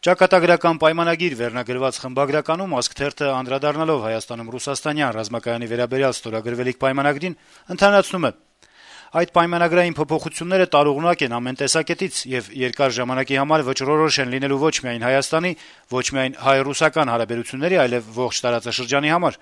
Ճակատագրական պայմանագիր վերնագրված խմբագրականում «Ազգ» թերթը անդրադառնալով Հայաստանում ռուսաստանյան ռազմակայանի վերաբերյալ ստորագրվելիք պայմանագրին ընդհանրացնում է. - «Այդ պայմանագրային փոփոխությունները տարողունակ են ամեն տեսակետից եւ երկար ժամանակի համար վճռորոշ են լինելու ոչ միայն Հայաստանի, ոչ միայն հայ-ռուսական հարաբերությունների, այլեւ ողջ տարածաշրջանի համար։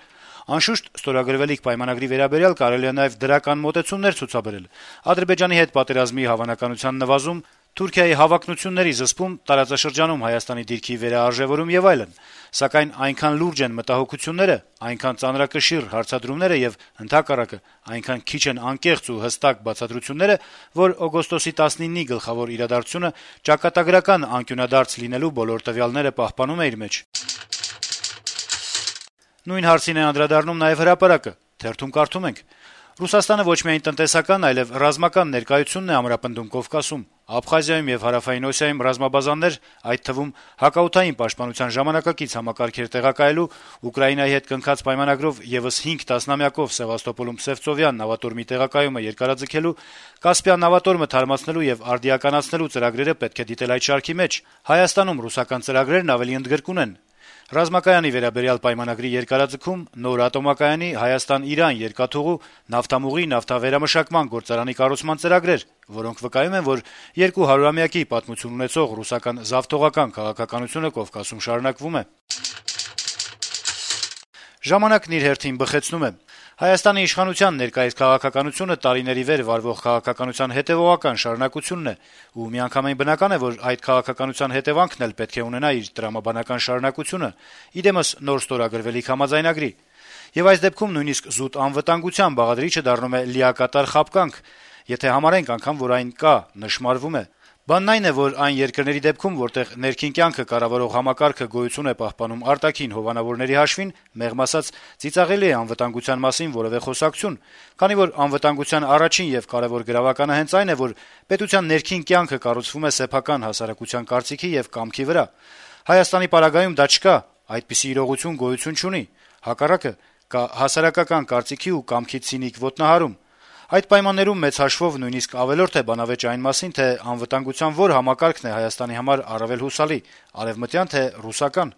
Անշուշտ, ստորագրվելիք պայմանագրի վերաբերյալ կարելի է նաեւ դրական մոտեցումներ ցուցաբերել. Ադրբեջանի հետ պատերազմի հավանականության նվազում, Թուրքիայի հավակնությունների զսպում, տարածաշրջանում Հայաստանի դիրքի վերաարժեվորում եւ այլն, սակայն այնքան լուրջ են մտահոգությունները, այնքան ծանրակշիռ հարցադրումները եւ ընդհակառակը այնքան քիչ են անկեղծ ու հստակ բացատրությունները, որ օգոստոսի 19-ի գլխավոր իրադարձությունը ճակատագրական անկյունադարձ լինելու բոլոր տվյալները պահպանում է իր մեջ»։ Նույն հարցին է անդրադառնում նաեւ «Հրապարակ»-ը. թերթում կարդում ենք. - «Ռուսաստանը ոչ միայն տնտեսական, այլեւ ռազմական ներկայությունն է ամրապնդում Կովկասում։ Աբխազիայում եւ Հարավային Օսիայում ռազմաբազաներ, այդ թվում հակաօդային պաշտպանության ժամանակակից համակարգեր տեղակայելու, Ուկրաինայի հետ կնքած պայմանագրով եւս 5 տասնամյակով Սեվաստոպոլում Սևծովյան նավատորմի տեղակայումը երկարաձգելու, Կասպյան նավատորմը թարմացնելու եւ արդիականացնելու ծրագրերը պետք է դիտել այդ շարքի մեջ։ Հայաստանում ռուսական ծրագրերն ավելի ընդգրկուն են։ Ռազմակայանի վերաբերյալ պայմանագրի երկարաձգում, նոր ատոմակայանի Հայաստան-Իրան երկաթուղու, նավթամուղի, նավթավերամշակման գործարանի կառուցման ծրագրեր, որոնք վկայում են, որ 200-ամյակի պատմություն ունեցող ռուսական զավթողական քաղաքականությունը Կովկասում շարունակվում է»։ «Ժամանակ»-ն իր հերթին բխեցնում է. - «Հայաստանի իշխանության ներկայիս քաղաքականությունը տարիների վեր վարվող քաղաքականության հետեւողական շարունակությունն է, ու միանգամայն բնական է, որ այդ քաղաքականության հետեւանքն էլ պետք է ունենա իր տրամաբանական շարունակությունը, ի դեմս նոր ստորագրվելիք համաձայնագրի։ Եվ այս դեպքում նույնիսկ զուտ անվտանգության բաղադրիչը դառնում է լիակատար խաբկանք, եթե համարենք անգամ, որ այն կա, նշմարվում է։ Բանն այն է, որ այն երկրների դեպքում, որտեղ ներքին կյանքը կառավարող համակարգը գոյություն է պահպանում արտաքին հովանավորների հաշվին, մեղմ ասած, ծիծաղելի է անվտանգության մասին որեւէ խոսակցություն, քանի որ անվտանգության առաջին եւ կարեւոր գրավականը հենց այն է, որ պետության ներքին կյանքը կառուցվում է սեփական հասարակության կարծիքի եւ կամքի վրա։ Հայաստանի պարագայում դա չկա, այդպիսի իրողություն գոյություն չունի։ Հակառակը, կա հասարակական կարծիքի ու կամքի ցինիկ ոտնահարում։ Այդ պայմաններում մեծ հաշվով նույնիսկ ավելորդ է բանավեճ այն մասին, թե անվտանգության որ համակարգն է Հայաստանի համար առավել հուսալի՝ արեւմտյան, թե ռուսական»։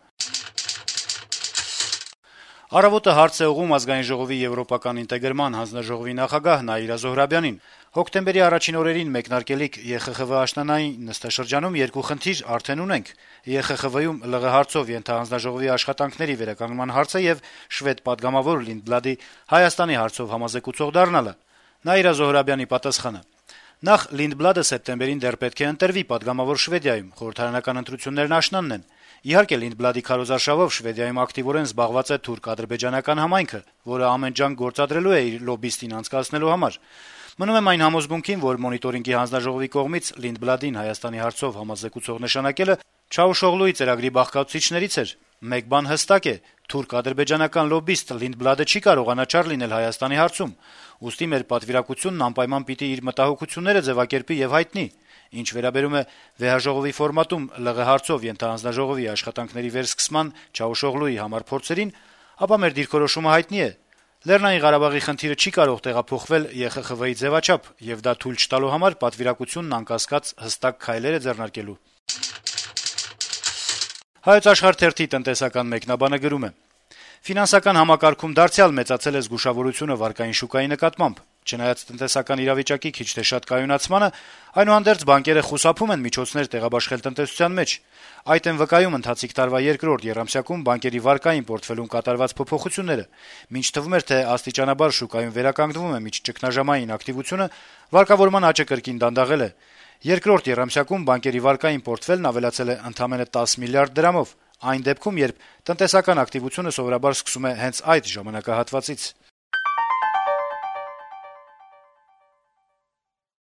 «Առավոտ»-ը հարց է ուղղում Ազգային ժողովի եվրոպական ինտեգրման հանձնաժողովի նախագահ Նաիրա Զոհրաբյանին։ Հոկտեմբերի առաջին օրերին մեկնարկելիք ԵԽԽՎ աշնանային նստաշրջանում երկու խնդիր արդեն ունենք. ԵԽԽՎ-ում ԼՂ հարցով ենթահանձնաժողովի աշխատանքների վերականգնման հարցը եւ շվեդ պատգամավոր Լինդբլադի Հայաստանի հարցով համազեկուցող դառնալը։ Նաիրա Զոհրաբյանի պատասխանը. - Նախ Լինդբլադը սեպտեմբերին դեռ պետք է ընտրվի պատգամավոր Շվեդիայում, խորհրդարանական ընտրություններն աշնանն են։ Իհարկե, Լինդբլադի քարոզարշավով Շվեդիայում ակտիվորեն զբաղված է թուրք-ադրբեջանական համայնքը, որը ամեն ջանք գործադրելու է իր լոբբիստին անցկացնելու համար։ Մնում եմ այն համոզմունքին, որ Մոնիտորինգի հանձնաժողովի կողմից Լինդբլադին Հայաստանի հարցով համազեկուցող նշանակելը Չաուշօղլուի ծրագրի բաղկացուցիչներից էր։ Մեկ բան հստակ է՝ թուրք-ադրբեջանական լոբբիստ Լինդբլադը չի կարող անաչառ լինել Հայաստանի հարցում, ուստի մեր պատվիրակությունն անպայման պիտի իր մտահոգությունները ձեւակերպի եւ հայտնի։ Ինչ վերաբերում է վեհաժողովի ֆորմատում ԼՂ հարցով ենթահանձնաժողովի աշխատանքների վերսկսման Չաուշօղլուի համար փորձերին, ապա մեր դիրքորոշումը հայտնի է։ Լեռնային Ղարաբաղի խնդիրը չի կարող տեղափոխվել ԵԽԽՎ-ի ձեւաչափ, եւ դա թույլ չտալու համար պատվիրակությունն անկասկած հստակ քայլեր է ձեռնարկելու»։ Հայոց Աշխարհ թերթի տնտեսական մեկնաբանը գրում է. - «Ֆինանսական համակարգում դարձյալ մեծացել է զգուշավորությունը վարկային շուկայի նկատմամբ։ Չնայած տնտեսական իրավիճակի քիչ թե շատ կայունացմանը, այնուհանդերձ բանկերը խուսափում են միջոցներ տեղաբաշխել տնտեսության մեջ։ Այդ են վկայում ընթացիկ տարվա երկրորդ եռամսյակում բանկերի վարկային պորտֆելում կատարված փոփոխությունները։ Մինչ թվում էր, թե աստիճանաբար շուկայում վերականգնվում է միջճգնաժամային ակտիվությունը, վարկավորման աճը կրկին դանդաղել է։ Երկրորդ եռամսյակում բանկերի վարկային պորտֆելն ավելացել է ընդամենը 10 միլիարդ դրամով, այն դեպքում, երբ տնտեսական ակտիվությունը սովորաբար սկսում է հենց այդ ժամանակահատվածից»։